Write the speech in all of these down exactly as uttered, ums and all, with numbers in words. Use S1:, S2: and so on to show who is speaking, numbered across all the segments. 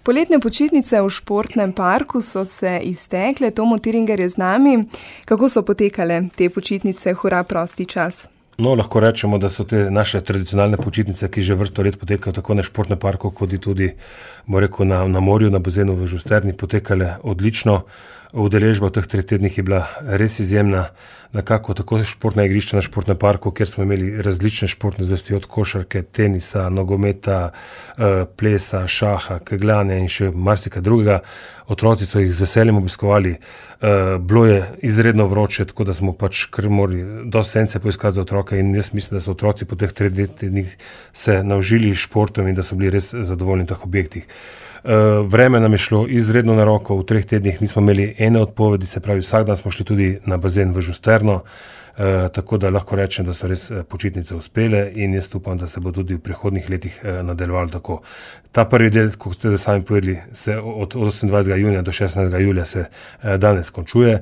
S1: Poletne počitnice v športnem parku so se iztekle, Tomo Tiringer je z nami. Kako so potekale te počitnice, hura prosti čas?
S2: No, lahko rečemo, da so te naše tradicionalne počitnice, ki že vrsto let potekajo tako na športnem parku, kot tudi rekel, na, na morju, na bazenu v Žusterni, potekale odlično. Udeležba v teh treh tednih je bila res izjemna, nekako tako športna igrišča na športnem parku, kjer smo imeli različne športne zvrsti od košarke, tenisa, nogometa, plesa, šaha, kegljanja in še marsikaj drugega. Otroci so jih z veseljem obiskovali. Bilo je izredno vroče, tako da smo pač kar morali dosti sence poiskati za otroke in jaz mislim, da so otroci po teh treh tednih se naužili športom in da so bili res zadovoljni v teh objektih. Vreme nam je šlo izredno na roko, v treh tednih nismo imeli ene odpovedi, se pravi vsak dan smo šli tudi na bazen v Žusterno, tako da lahko rečem, da so res počitnice uspele in jaz upam, da se bo tudi v prihodnjih letih nadaljevalo tako. Ta prvi del, kot ste sami povedali, se od osemindvajsetega junija do šestnajstega julija se danes končuje.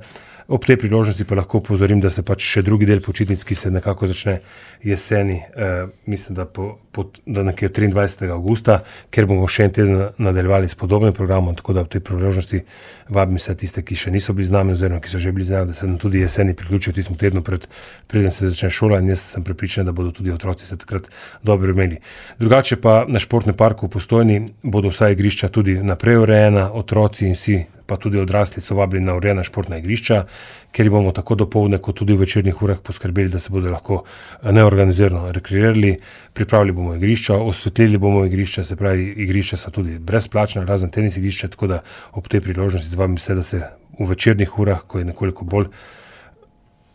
S2: Ob tej priložnosti pa lahko upozorim, da se pač še drugi del počitnic, ki se nekako začne jeseni, eh, mislim, da, po, po, da nekje triindvajsetega avgusta, ker bomo še en teden nadaljevali s podobnim programom, tako da ob tej priložnosti vabim vse tiste, ki še niso bili z nami oziroma ki so že bili z nami, da se nam tudi jeseni priključijo tistem tednu pred, preden se začne šola in jaz sem prepričan, da bodo tudi otroci se takrat dobro imeli. Drugače pa na športnem parku v Postojni bodo vsa igrišča tudi naprej urejena, otroci in vsi pa tudi odrasli so vabili na urejena športna igrišča, ker bomo tako dopoldne kot tudi v večernih urah poskrbeli, da se bodo lahko neorganizirano rekreirali, pripravili bomo igrišča, osvetlili bomo igrišča, se pravi igrišča so tudi brezplačna, razen tenis igrišča, tako da ob tej priložnosti vabim se, da se v večernih urah, ko je nekoliko bolj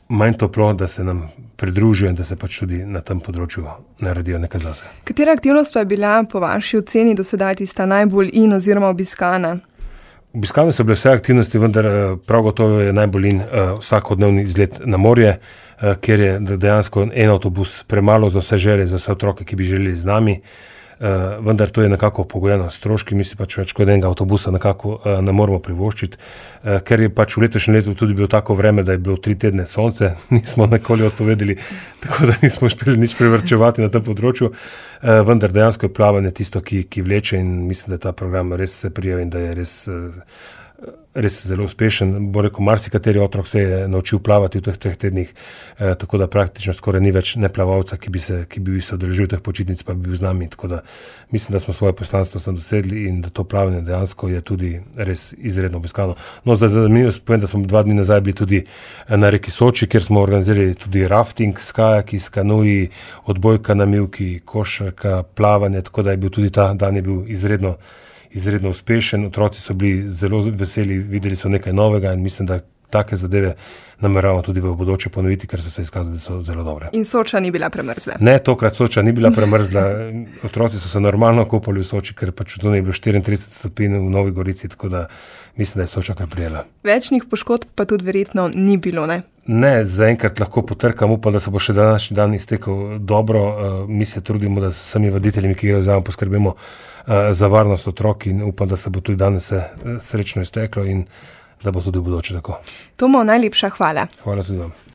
S2: manj toplo, da se nam pridružijo in da se pač tudi na tem področju naredijo nekaj zase.
S1: Katera aktivnost pa je bila po vaši oceni do sedaj tista najbolj in oziroma obiskana?
S2: Obiskane so bile vse aktivnosti, vendar prav gotovo je najbolj in uh, vsakodnevni izlet na morje, uh, kjer je dejansko en avtobus premalo za vse želje, za vse otroke, ki bi želeli z nami. Uh, vendar to je nekako pogojeno s stroški, mi si pač več kot enega avtobusa nekako uh, ne moramo privoščiti, uh, ker je pač v letošnjem letu tudi bilo tako vreme, da je bilo tri tedne sonce, nismo nikoli odpovedali, tako da nismo uspeli nič privrčevati na tem področju, uh, vendar dejansko je plavanje tisto, ki, ki vleče in mislim, da ta program res se prijel in da je res uh, res zelo uspešen. Bo rekel, marsikateri otrok se je naučil plavati v teh treh tednih, eh, tako da praktično skoraj ni več neplavalca, ki bi se, ki bi se odeležil teh počitnic, pa bi bil z nami. Tako da mislim, da smo svoje poslanstvo smo dosegli in da to plavanje dejansko je tudi res izredno obiskano. No, za zanimivost povem, da smo dva dni nazaj bili tudi na reki Soči, kjer smo organizirali tudi rafting s kajaki, s kanuji, odbojka na mivki, košarka, plavanje, tako da je bil tudi ta dan je bil izredno izredno uspešen, otroci so bili zelo veseli, videli so nekaj novega in mislim, da take zadeve nameravamo tudi v bodoče ponoviti, ker so se izkazali, da so zelo dobre.
S1: In Soča ni bila premrzla?
S2: Ne, tokrat Soča ni bila premrzla, otroci so se normalno kopali v Soči, ker pač zunaj je bilo štiriintrideset stopinj v Novi Gorici, tako da mislim, da je Soča kar prijela.
S1: Večnih poškodb pa tudi verjetno ni bilo, ne?
S2: Ne, zaenkrat lahko potrkam, upam, da se bo še današnji dan iztekel dobro. Uh, mi se trudimo, da s vsemi voditeljimi, ki grejo zraven, poskrbimo uh, za varnost otrok in upam, da se bo tudi danes se uh, srečno izteklo in da bo tudi v bodoče tako.
S1: Tomo, najlepša hvala.
S2: Hvala tudi vam.